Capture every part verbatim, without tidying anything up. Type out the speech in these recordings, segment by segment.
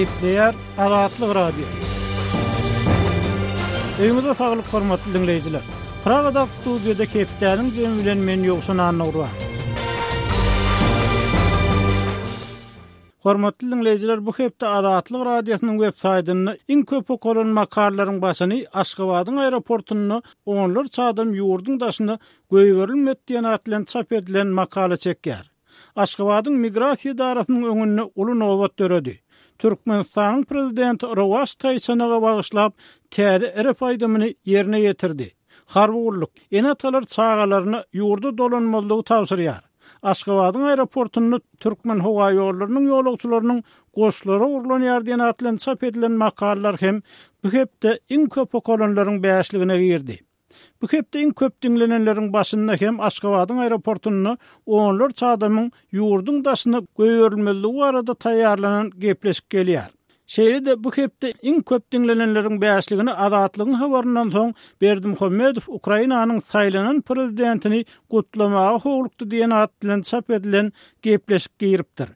Gepleýär Azatlyk Radiosy. Öýüňize saglyk hormatly diňleýjiler. Pragadaky studiýada hepdäniň jemi bilen men Ýowşan Annagurban. Hormatly diňleýjiler, bu hepde Azatlyk Radiosynyň web saýtynda iň köp okalan makalalaryň başyny Aşgabadyň aeroportunda onlarça adam ýurduň daşyna goýberilmedi diýen at bilen çap edilen makala çekýär. Aşgabadyň migrasiýa edarasynyň öňünde uly nobat döredi. Türkmenistanyň prezidenti Rowaç Taýçanaga bagyşlap täze rap aýdymyny ýerine ýetirdi. Harby gulluk ene-atalar çagalaryna ýurda dolanmazlygy tabşyrýar. Aşgabadyň aeroportunda Türkmen howa ýollarynyň ýolagçylarynyň goşlary urlanýar diýen at bilen çap edilen makalalar hem bu hepde iň köp okalanlaryň bäşligine girdi. Bu hepde iň köp diňlenenleriň başynda hem Aşgabadyň aeroportunda onlarça adamyň ýurduň daşyna goýberilmezligi barada taýýarlanan gepleşik gelýär. Şeýle-de bu hepde iň köp diňlenenleriň bäşligini Azatlygyň habaryndan soň Berdimuhamedow Ukrainanyň saýlanan prezidentini gutlamaga howlukdy diýen at bilen çap edilen gepleşik giripdir.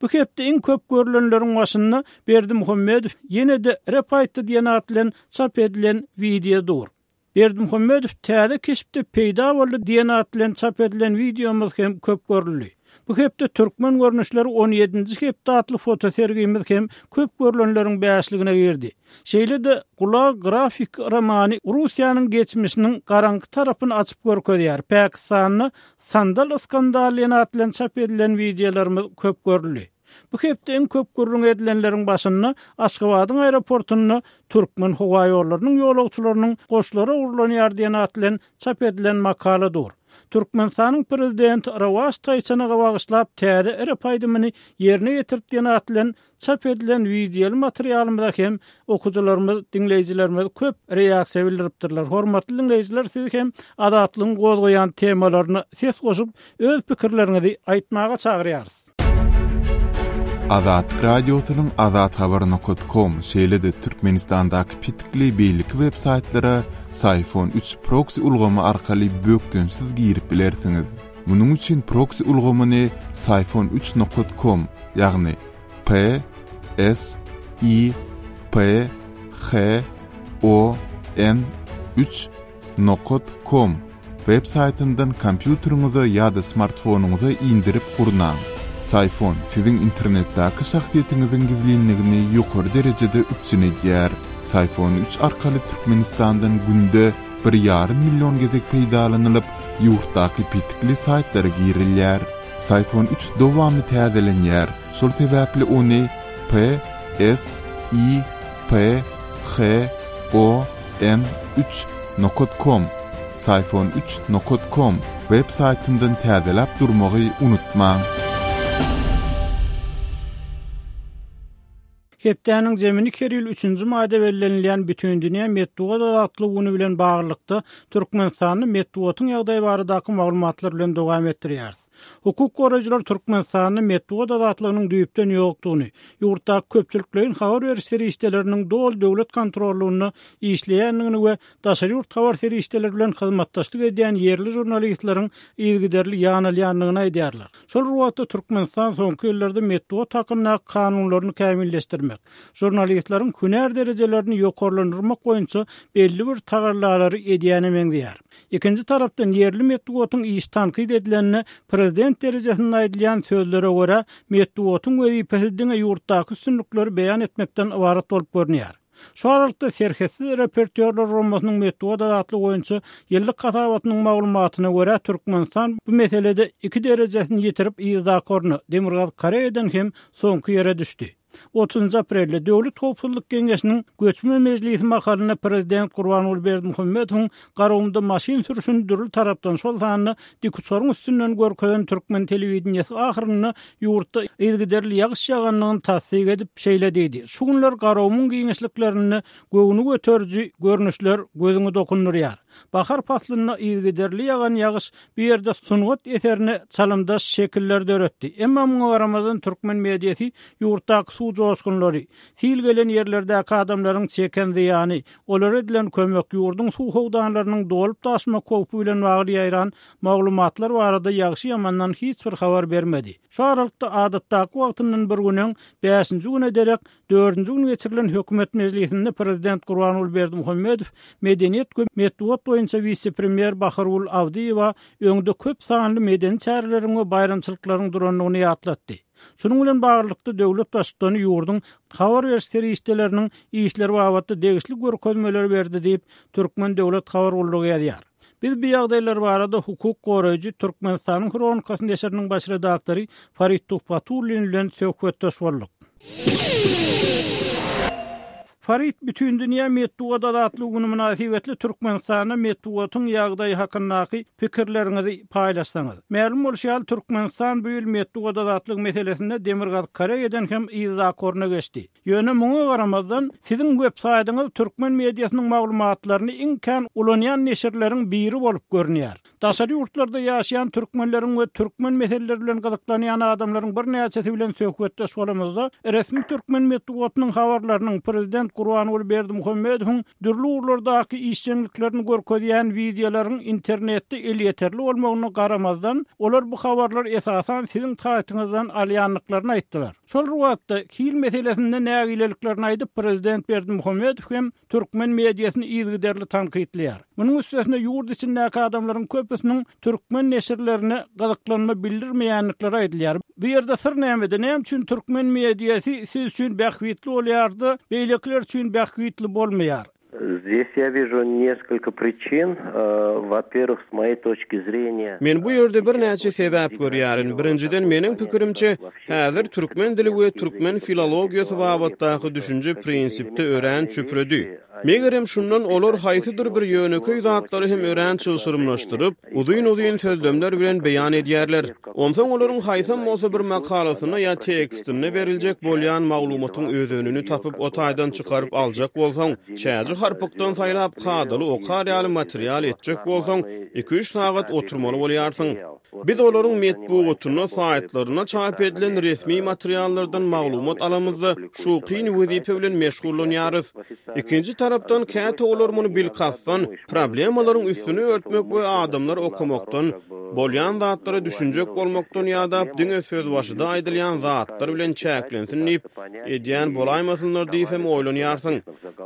Bu hepde iň köp görülenleriň başynda Berdimuhamedow ýene-de rap aýtdy diýen at bilen çap edilen wideo dur. Berdimuhamedow täze keşpde peýda boldy diýen at bilen çap edilen wideomyz hem köp görüldi. Bu hepde Türkmen görnüşleri on ýedinji hepde atly fotosergimiz hem köp görülenleriň bäşligine girdi. Şeýle-de Gulag grafik romany Russiýanyň geçmişiniň garaňky tarapyny açyp görkezýär. Pakistanda sandal skandaly diýen at bilen çap edilen wideolarymyz köp görüldi. Bu hepde iň köp gürrüň edilenleriň başynda Aşgabadyň aeroportunda Türkmen howa ýollarynyň ýolagçylarynyň goşlary urlanýar diýen at bilen çap edilen makala dur. Türkmenistanyň prezidenti Rowaç Taýçanaga bagyşlap täze rap aýdymyny ýerine ýetirdi diýen at bilen çap edilen wideoly materialymyza hem okyjylarymyz, diňleýjilerimiz köp reaksiýa bildiripdirler. Hormatly diňleýjiler, siz hem Azatlygyň gozgaýan temalaryna ses goşup, öz pikirleriňizi aýtmaga çagyrýarys. Azatlyk Radiosynyň azathabar nokta com, şeýle-de Türkmenistandaky pitikli beýleki web saýtlara Syfon üç proxy ulgamy arkaly bökdençsiz girip bilersiňiz. Munuň üçin proxy ulgamyny Syfon üç nokta com, ýagny P S I P H O N üç nokta com web saýtyndan kompýuteriňize ýa-da smartfonyňyza indirip gurnaň. Syfon siziň internetdäki şahsyýetiňiziň gizlinligini ýokary derejede üpjün edýär. Syfon üç arkaly Türkmenistandan günde bir ýarym million gezek peýdalanylyp, ýurtdaky pitikli saýtlara girilýär. Syfon üç dowamly täzelenýär. Şol sebäpli ony P S I P H O N üç nokta com, Syfon üç nokta com web saýtyndan täzeläp durmagy unutmaň. Hepdäniň zemini Keril üçünji maýda bellenilýän Bütindünýä metbugat azatlygy güni bilen baglylykda Türkmenistanda metbugatyň ýagdaýy baradaky maglumatlar bilen dowam etdirýäris. Hukuk goraýjylar Türkmenistanda metbugat azatlygynyň düýpden ýokdugyny, ýurtdaky köpçülikleýin habar beriş serişdeleriniň doly döwlet kontrollugynda işleýändigini we daşary ýurt habar serişdeleri bilen hyzmatdaşlyk edýän ýerli žurnalistleriň yzygiderli ýanalýandygyny aýdýarlar. Şol bir wagtda Türkmenistan soňky ýyllarda metbugat hakyndaky kanunlaryny kämilleşdirmek, žurnalistleriň hünär derejelerini ýokarlandyrmak boýunça belli bir tagallalary edýäne meňzeýär. Ikinji tarapdan ýerli metbugatyň iş tankyt edilenine prezident derejesinde aýdylýan sözlere görä metbugatyň wezipesi diňe ýurtdaky üstünlikleri beýan etmekden ybarat bolup görünýär. Şu aralykda Serhetsiz repertuarlar guramasynyň metbugat azatlygy boýunça ýyllyk hasabatynyň maglumatyna görä Türkmenistan bu meselede iki derejesini ýetirip yzdaky orna Demirgazyk Koreýadan hem soňky ýere düşdi. Otuzynjy aprelde Döwlet Howpsuzlyk Geňeşiniň göçme mejlisi mahalynda prezident Gurbanguly Berdimuhamedowyň Garagumda maşyn sürüşini dürli tarapdan şol sanda dikuçaryň üstünden görkezen türkmen telewideniýesi ahyrynda ýurtda yzygiderli ýagyş ýagandygyny tassyk edip şeýle diýdi. Şu günler Garagumuň giňişliklerinde göwni göteriji görnüşler gözüňi dokundurýar. Bahar paslynda yzygiderli ýagan ýagyş bu ýerde sungat eserine çalymdaş şekiller döretdi. Emma muňa garamazdan türkmen mediasy ýurtdaky suw joşgunlary, sil gelen ýerlerdäki adamlaryň çeken zyýany, olara edilen kömek, ýurduň suw howdanlarynyň dolup daşmak howpy bilen bagly ýaýran maglumatlar barada ýagşy-ýamandan hiç bir habar bermedi. Şu aralykda adatdaky wagtyndan bir gün öň, bäşinji güne derek dördünji gün geçirilen hökümet mejlisinde prezident Gurbanguly Berdimuhamedow medeniýet we metbugat boýunça wise-premýer Bahargul Abdyýewa öňde köp sanly medeni çäreleriň we baýramçylyklaryň durandygyny ýatlatdy. Şunuň bilen baglylykda döwlet baştutany ýurduň habar beriş serişdeleriniň işleri babatda degişli görkezmeleri berdi diýip, Türkmen döwlet habar gullugy ýazýar. Biz bu ýagdaýlar barada hukuk goraýjy Türkmenistanyň Hronikasy neşiriniň baş redaktory Farid Tuhbatullin bilen söhbetdeş bolduk. Farid, Bütindünýä metbugat azatlygy güni mynasybetli Türkmenistanda metbugatyň ýagdaýy hakyndaky pikirleriňizi paýlaşsaňyz. Mälim bolşy ýaly, Türkmenistan bu ýyl metbugat azatlygy meselesinde Demirgazyk Koreýadan hem yzdaky orna geçdi. Ýöne muňa garamazdan, siziň web saýtyňyz türkmen mediasynyň maglumatlaryny iň kän ulanýan neşirleriň biri bolup görünýär. Daşary ýurtlarda ýaşaýan türkmenleriň we türkmen meseleleri bilen gyzyklanýan adamlaryň birnäçesi bilen söhbetdeş bolamyzda, resmi türkmen metbugatynyň habarlarynyň prezident Gurbanguly Berdimuhamedowyň dürli ugurlardaky işjeňliklerini görkezýän wideolaryň internetde elýeterli bolmagyna garamazdan, olar bu habarlary esasan siziň saýtyňyzdan alýandyklaryny aýtdylar. Şol bir wagtda hil meselesinde nägileliklerini aýdyp, prezident Berdimuhamedow hem türkmen mediasyny yzygiderli tankytlaýar. Munuň üstesine ýurt içindäki adamlaryň köpüsiniň türkmen neşirlerine gyzyklanma bildirmeýändikleri aýdylýar. Bu ýerde syr nämede? Näme üçin türkmen mediasy siz üçin bähbitli bolýar-da, beýlekiler üçin bähbitli bolmaýar? Здесь я вижу несколько причин. Во-первых, с моей точки зрения, Men bu ýerde birnäçe sebäp görýärin. Birinjiden, meniň pikirimçe, häzir türkmen dili we türkmen filologiýasy babatdaky düşünje prinsipde örän çüpredi. Megerem şundan olar haýsydyr bir ýönekeý zatlary hem örän çylşyrymlaşdyryp, uzyn-uzyn sözlemler bilen beýan edýärler. Onsoň olaryň haýsam bolsa bir makalasyna ýa tekstinde beriljek bolýan maglumatyň özenini tapyp o taýdan çykaryp aljak bolsaň, çäji harpykdan saýlap kadaly okar ýaly material etjek bolsaň, iki-üç sagat oturmaly bolýarsyň. Biz olaryň metbugatynda, saýtlarynda çap edilen resmi materiallardan maglumat alamyzda şu kyn wezipe bilen meşgullanýarys. Ikinji tarapdan käte olar muny bilkastdan problemalaryň üstüni örtmek we adamlar okamakdan, bolýan zatlara düşünjek bolmakdan ýa-da diňe sözbaşyda aýdylýan zatlar bilen çäklensin diýip edýän bolaýmasynlar diýip hem oýlanýarsyň.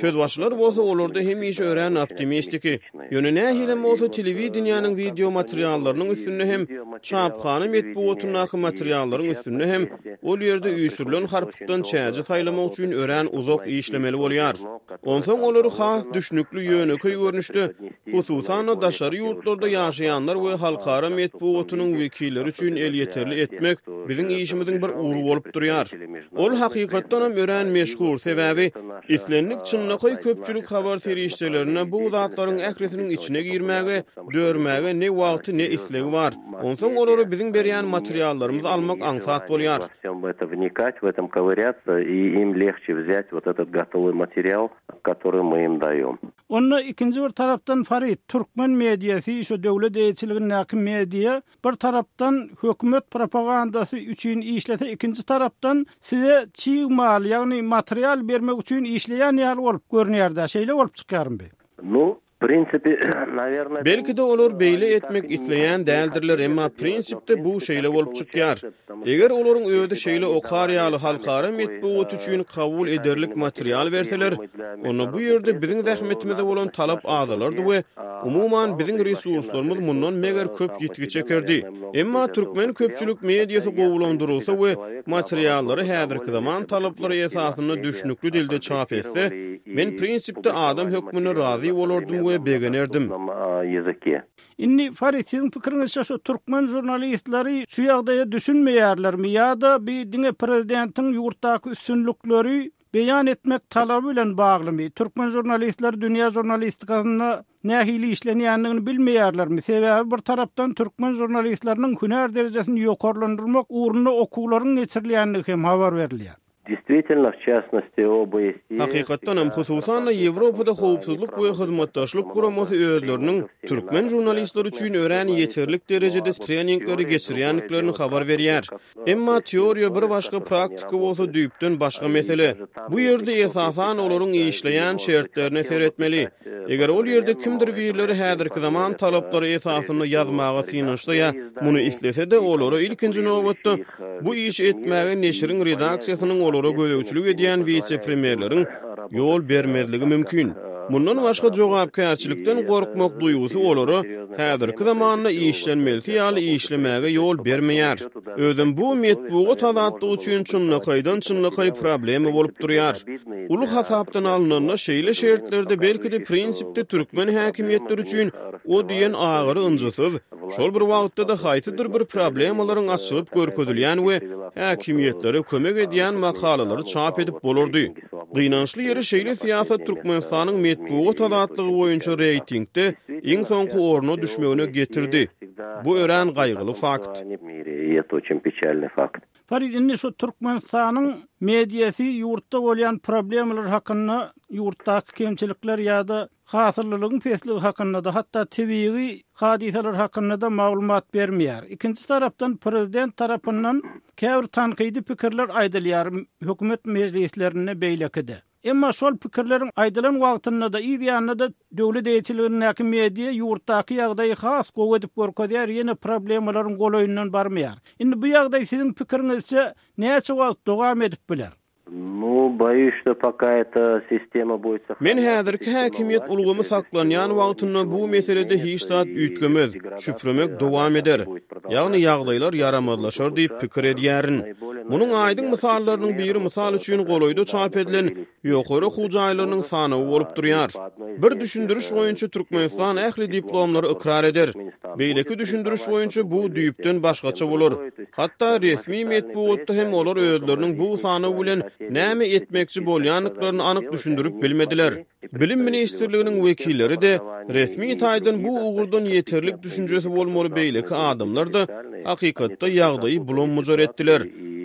Sözbaşylar bolsa olarda hemişe örän optimistiki. Ýöne nähilem bolsa telewideniýäniň video materiallarynyň üstünde hem çaphana metbugatyndaky materiallaryň üstünde hem ol ýerde üýşürilen harpykdan çäji saýlamak üçin örän uzak işlemeli bolýar. Onsoň olary has düşnükli ýönekeý görnüşde, hususan-da daşary ýurtlarda ýaşaýanlar we halkara metbugatynyň wekilleri üçin elýeterli etmek biziň işimiziň bir ugry bolup durýar. Ol hakykatdan hem örän meşhur, sebäbi islendik çynlakaý köpçülik habar serişdelerine bu zatlaryň ählisiniň içine girmäge, dörmäge ne wagty ne islegi bar. Onsoň olary biziň berýän materiallarymyzy almak aňsat bolýar. Во всем это вникать, в этом ковыряться, и им легче взять вот этот готовый материал, который мы им даем. Onda ikinji bir tarapdan Farid, türkmen mediasy, şu döwlet eýeçiligindäki media bir tarapdan hökümet propagandasy üçin işlese, ikinji tarapdan size çig mal, ýagny material bermek üçin işleýän ýaly bolup görünýär-de, şeýle bolup çykýarmy? Ну, в принципе, наверное, Belki-de olar beýle etmek isleýän däldirler, emma prinsipde bu şeýle bolup çykýar. Eger olaryň özi şeýle okar ýaly halkara metbugat üçin kabul ederlik material berseler, onda bu ýerde biziň zähmetimize bolan talap azalardy we umuman biziň resurslarymyz mundan meger köp ýitgi çekerdi. Emma türkmen köpçülik mediasy gowulandyrylsa we materiallary häzirki zaman talaplary esasynda düşnükli dilde çap etse, men prinsipde adam hökmünde razy bolardym we begenerdim. Языке. Indi Farid, siziň pikiriňizçe şu türkmen žurnalistleri şu ýagdaýa düşünmeýärlermi ýa-da bir diňe prezidentiň ýurtdaky üstünlikleri beýan etmek talaby bilen baglymy? Türkmen žurnalistleri dünýä žurnalistikasynda nähili işlenýändigini bilmeýärlermi? Sebäbi bir tarapdan türkmen žurnalistleriniň hünär derejesini ýokarlandyrmak ugrunda okuwlaryň geçirilýändigi hem habar berilýär. Действительно, в частности, ОБСЕ... Hakykatdanam, hususan-da, Ýewropada Howpsuzlyk we Hyzmatdaşlyk Guramasy özleriniň türkmen žurnalistleri üçin örän ýeterlik derejede treningleri geçirýändiklerini habar berýär. Emma teoriýa bir başga, praktika bolsa düýpden başga mesele. Bu ýerde esasan olaryň işleýän şertlerine seretmeli. Eger ol ýerde kimdir birleri häzirki zaman talaplary esasynda ýazmaga synanyşsa ýa muny islese-de, olara ilkinji nobatda bu işi etmäge neşiriň redaksiýasynyň olara gözegçilik edýän wise-premýerleriň ýol bermezligi mümkin. Mundan başga jogapkärçilikden gorkmak duýgusy olara häzirki zamanda işlenmelisi ýaly işlemäge ýol bermeýär. Özem bu metbugat azatlygy üçin çynlakaýdan çynlakaý problema bolup durýar. Uly hasapdan alnanda şeýle şertlerde belki-de prinsipde türkmen häkimiýetleri üçin o diýen agyry ynjysyz, şol bir wagtda-da haýsydyr bir problemalaryň açylyp görkezilýän we häkimiýetlere kömek edýän makalalary çap edip bolardy. Gynançly ýeri şeýle syýasat Türkmenistanyň metbugat azatlygy boýunça reýtingde iň soňky orna düşmegine getirdi. Bu örän gaýgyly fakt. Farid, indi şu Türkmenistanyň mediasy ýurtda bolýan problemalar hakynda, ýurtdaky kemçilikler ýa-da hasyllylygyň pesligi hakynda-da, hatda tebigy hadysalar hakynda-da maglumat bermeýär. Ikinji tarapdan prezident tarapyndan käbir tankydy pikirler aýdylýar hökümet mejlislerinde beýlekide. Emma şol pikirleriň aýdylan wagtynda-da, yz ýanynda-da döwlet eýeçiligindäki media ýurtdaky ýagdaýy has gowy edip görkezýär, ýene problemalaryň golaýyndan barmaýar. Indi bu ýagdaý siziň pikiriňizçe näçe wagt dowam edip biler? Nu, boýuş, что пока эта sistema будет Men häzirki häkimiýet ulgamy saklanýan wagtynda bu meselede hiç zat üýtgemez, çüpremek dowam eder. Ýagny ýagdaýlar ýaramazlaşar diýip pikir edýärin. Munuň aýdyň mysallarynyň biri mysal üçin golaýda çap edilen ýokary okuw jaýlarynyň sanawy bolup durýar. Bir düşündiriş boýunça Türkmenistan ähli diplomlary ykrar eder. Beýleki düşündiriş boýunça bu düýpden başgaça bolar. Hatda resmi metbugatda hem olar özleriniň bu sanaw bilen näme etmekçi bolýandyklaryny anyk düşündirip bilmediler. Bilim ministrliginiň wekilleri-de resmi taýdan bu ugurdan ýeterlik düşünjesi bolmaly beýleki adamlar-da hakykatda ýagdaýy bulam-bujar etdiler.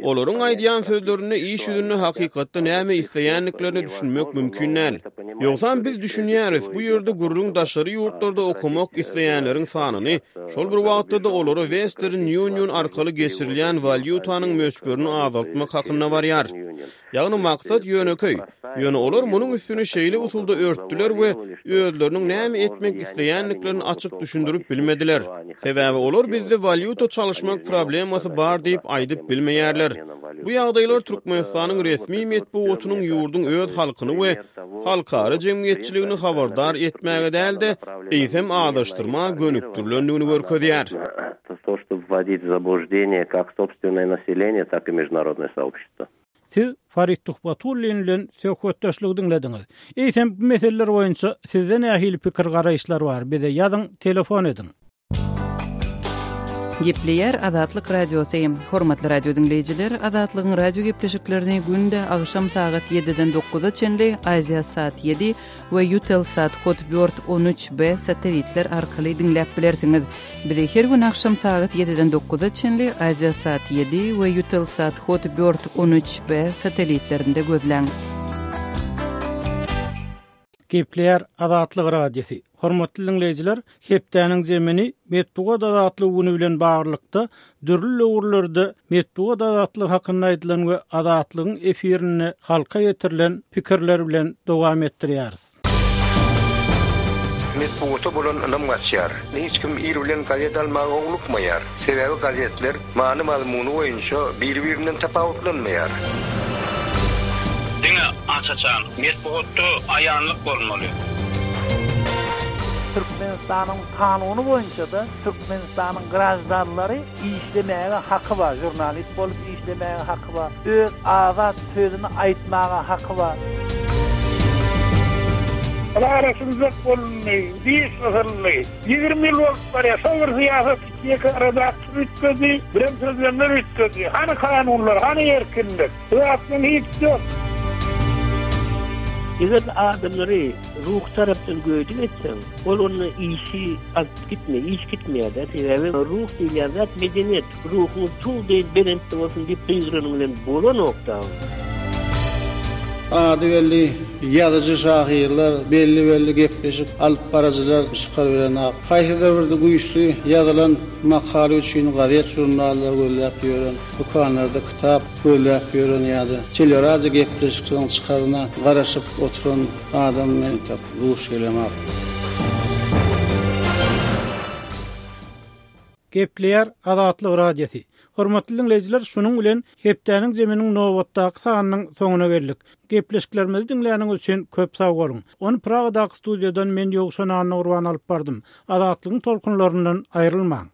Olaryň aýdýan sözlerinde iş ýüzünde hakykatda näme isleýändiklerini düşünmek mümkin däl. Ýogsam biz düşünýäris, bu ýerde gürrüň daşary ýurtlarda okamak isleýänleriň sanyny, şol bir wagtda-da olara Western Union arkaly geçirilýän walýutanyň möçberini azaltmak hakynda barýar. Ýagny maksat ýönekeý. Ýöne olar munuň üstüni şeýle usulda örtdüler we özleriniň näme etmek isleýändiklerini açyk düşündirip bilmediler. Sebäbi olar bizde walýuta çalyşmak problemasy bar diýip aýdyp bilmeýärler. Bu ýagdaýlar Türkmenistanyň resmi metbugatynyň ýurduň öz halkyny we halkara jemgyýetçiligini habardar etmäge däl-de, eýsem azaşdyrma gönükdirilendigini görkezýär. То, чтобы вводить в заблуждение как собственное население, так и международное сообщество. Siz Farid Tuhbatullin bilen söhbetdeşligi diňlediňiz. Eýsem bu meseleler boýunça sizde nähili pikir garaýyşlar bar? Bize ýazyň, telefon ediň. Gepleýär Azatlyk Radiosy. Hormatly radio diňleýjiler, Azatlygyň radio gepleşiklerini günde agşam sagat ýediden dokuza çenli Aziasat ýedi we Eutelsat Hotbird on üç B satellitler arkaly diňläp bilersiňiz. Bizi her gün agşam sagat ýediden dokuza çenli Aziasat ýedi we Eutelsat Hotbird on üç B satellitlerinde gözläň. Gepleýär Azatlyk Radiosy. Hormatly diňleýjiler, hepdäniň zemini metbugat azatlygy güni bilen baglylykda dürli ugurlarda metbugat azatlygy hakynda aýdylan we azatlygyň efirinde halka ýetirilen pikirler bilen dowam etdirýäris. Metbugata bolan ynam gaçýar. Hiç kim ir bilen gazet almaga howlukmaýar. Sebäbi gazetler many mazmuny boýunça bir-birinden tapawutlanmaýar. Diňe aç-açan metbugatda aýanlyk bolmaly. Türkmenistanyň kanuny boýunça da Türkmenistanyň grajdanlary işlemäge haky bar, jurnalist bolup işlemäge haky bar, öz azat sözüni aýtmaga haky bar. Arasynda bolundy, diş gysyldy. Ýigrimi ýyl bolup barýar, şol bir syýasat iki arada üýtgedi, birem sözlemler üýtgedi. Hany kanunlar, hany erkinlik? Bu zatdan hiç ýok. Eger adamlary ruh tarapdan göýdük etseň, ol onda işi alyp gitme, iş gitmeýär-de. Sebäbi ruh diýilýän zat medeniýet, ruhuň tug deý belentde bolsun diýip gygyranyň bilen bolanok da. Ady belli ýazyjy-şahyrlar, belli-belli gepleşik alyp baryjylar çykaryberenok. Haýsydyr bir güýçli ýazylan makala üçin gazet-žurnallar gözläp ýören, dükanlarda kitap gözläp ýören ýa-da teleradio gepleşikleriň çykaryna garaşyp oturan adam men entek duş gelemok. Gepleýär Azatlyk Radiosy. Hormatly diňleýjiler, şunuň bilen hepdäniň zeminiň nobatdaky sanynyň soňuna geldik. Gepleşiklerimizi diňläniňiz üçin köp sag boluň. Ony Pragadaky studiýadan men Ýowşan Annagurban alyp bardym. Azatlygyň tolkunlaryndan aýrylmaň.